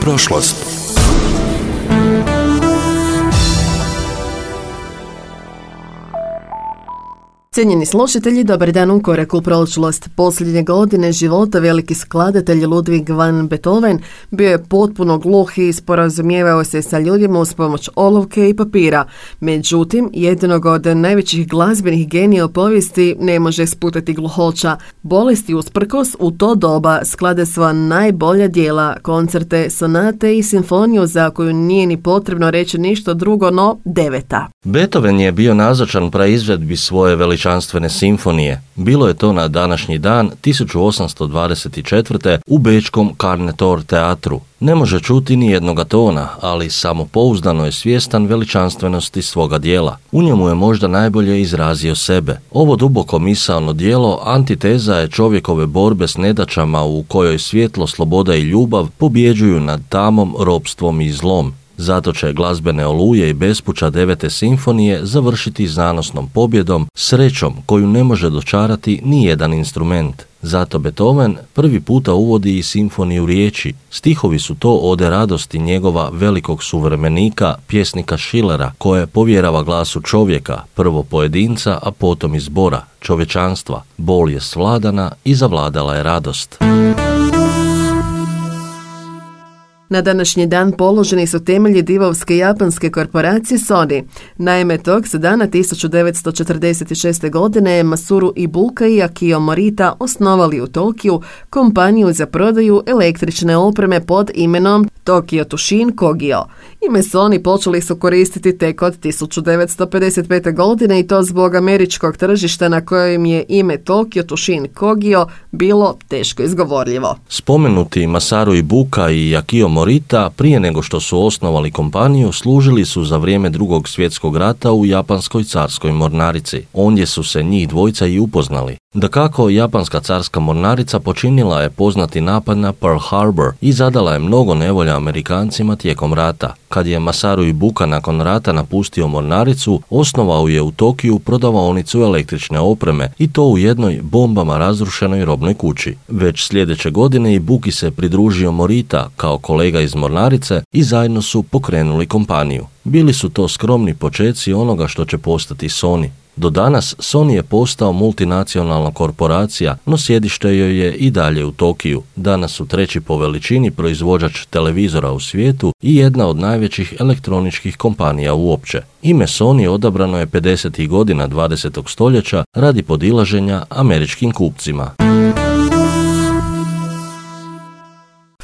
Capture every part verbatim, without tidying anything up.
prošlost. Cijenjeni slušatelji, dobar dan u koraku u prošlost. Posljednje godine života veliki skladatelj Ludwig van Beethoven bio je potpuno gluh i sporazumijevao se sa ljudima uz pomoć olovke i papira. Međutim, jednog od najvećih glazbenih genija u povijesti ne može sputati gluhoća. Bolesti usprkos u to doba sklade sva najbolja djela, koncerte, sonate i simfoniju za koju nije ni potrebno reći ništa drugo no deveta. Beethoven je bio nazočan praizvedbi svoje veličanstvene simfonije. Bilo je to na današnji dan tisuću osamsto dvadeset četvrte. u bečkom Carnetor teatru. Ne može čuti ni jednoga tona, ali samopouzdano je svjestan veličanstvenosti svoga djela. U njemu je možda najbolje izrazio sebe. Ovo duboko misaono djelo antiteza je čovjekove borbe s nedaćama u kojoj svjetlo, sloboda i ljubav pobjeđuju nad tamom, ropstvom i zlom. Zato će glazbene oluje i bespuća devete simfonije završiti zanosnom pobjedom, srećom koju ne može dočarati ni jedan instrument. Zato Beethoven prvi puta uvodi i simfoniju riječi. Stihovi su to ode radosti njegova velikog suvremenika, pjesnika Schillera, koje povjerava glasu čovjeka, prvo pojedinca, a potom i zbora, čovječanstva. Bol je svladana i zavladala je radost. Na današnji dan položeni su temelji divovske japanske korporacije Sony. Naime, tog se dana tisuću devetsto četrdeset šeste. godine Masaru Ibuka i Akio Morita osnovali u Tokiju kompaniju za prodaju električne opreme pod imenom Tokyo Tushin Kogyo. Ime Sony počeli su koristiti tek od tisuću devetsto pedeset pete. godine i to zbog američkog tržišta na kojem je ime Tokyo Tushin Kogyo bilo teško izgovorljivo. Spomenuti Masaru Ibuka i Akio Morita prije nego što su osnovali kompaniju služili su za vrijeme Drugog svjetskog rata u japanskoj carskoj mornarici. Ondje su se njih dvojica i upoznali. Dakako, japanska carska mornarica počinila je poznati napad na Pearl Harbor i zadala je mnogo nevolja Amerikancima tijekom rata. Kad je Masaru Ibuka nakon rata napustio mornaricu, osnovao je u Tokiju prodavaonicu električne opreme i to u jednoj bombama razrušenoj robnoj kući. Već sljedeće godine Ibuki se pridružio Morita kao kolega iz mornarice i zajedno su pokrenuli kompaniju. Bili su to skromni počeci onoga što će postati Sony. Do danas Sony je postao multinacionalna korporacija, no sjedište joj je i dalje u Tokiju. Danas su treći po veličini proizvođač televizora u svijetu i jedna od najvećih elektroničkih kompanija uopće. Ime Sony odabrano je pedesetih godina dvadesetog stoljeća radi podilaženja američkim kupcima.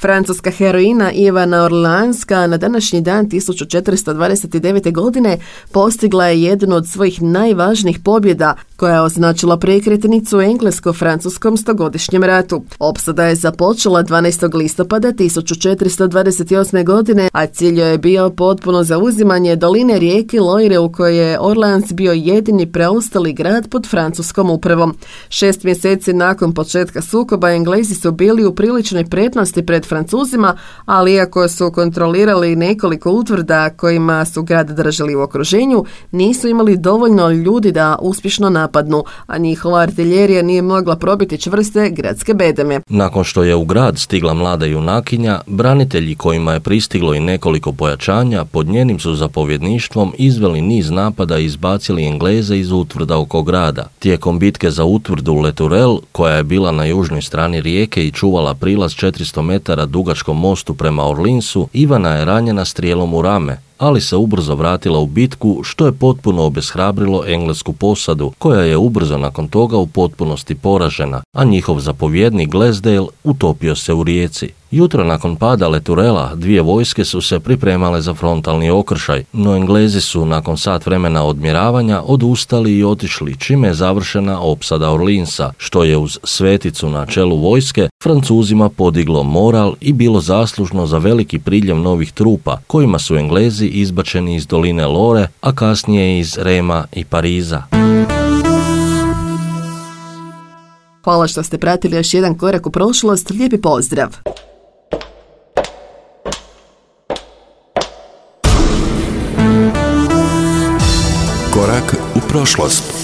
Francuska heroina Ivana Orleanska na današnji dan tisuću četiristo dvadeset devete. godine postigla je jednu od svojih najvažnijih pobjeda koja je označila prekretnicu u englesko-francuskom stogodišnjem ratu. Opsada je započela dvanaestog listopada tisuću četiristo dvadeset osme. godine, a cilj je bio potpuno zauzimanje doline rijeke Loire u kojoj je Orleans bio jedini preostali grad pod francuskom upravom. Šest mjeseci nakon početka sukoba Englezi su bili u priličnoj prednosti pred Francuzima, ali iako su kontrolirali nekoliko utvrda kojima su grad držali u okruženju, nisu imali dovoljno ljudi da uspješno napadnu, a njihova artiljerija nije mogla probiti čvrste gradske bedeme. Nakon što je u grad stigla mlada junakinja, branitelji kojima je pristiglo i nekoliko pojačanja pod njenim su zapovjedništvom izveli niz napada i izbacili Engleze iz utvrda oko grada. Tijekom bitke za utvrdu Le Tourelle, koja je bila na južnoj strani rijeke i čuvala prilaz četiristo metara dugačkom mostu prema Orleansu, Ivana je ranjena strijelom u rame, ali se ubrzo vratila u bitku, što je potpuno obeshrabrilo englesku posadu, koja je ubrzo nakon toga u potpunosti poražena, a njihov zapovjednik Glasdale utopio se u rijeci. Jutro nakon pada Le Tourella dvije vojske su se pripremale za frontalni okršaj, no Englezi su nakon sat vremena odmjeravanja odustali i otišli, čime je završena opsada Orleansa, što je uz sveticu na čelu vojske Francuzima podiglo moral i bilo zaslužno za veliki priljev novih trupa, kojima su Englezi izbačeni iz doline Lore, a kasnije iz Rema i Pariza. Hvala što ste pratili još jedan korak u prošlost. Lijepi pozdrav! Korak u prošlost.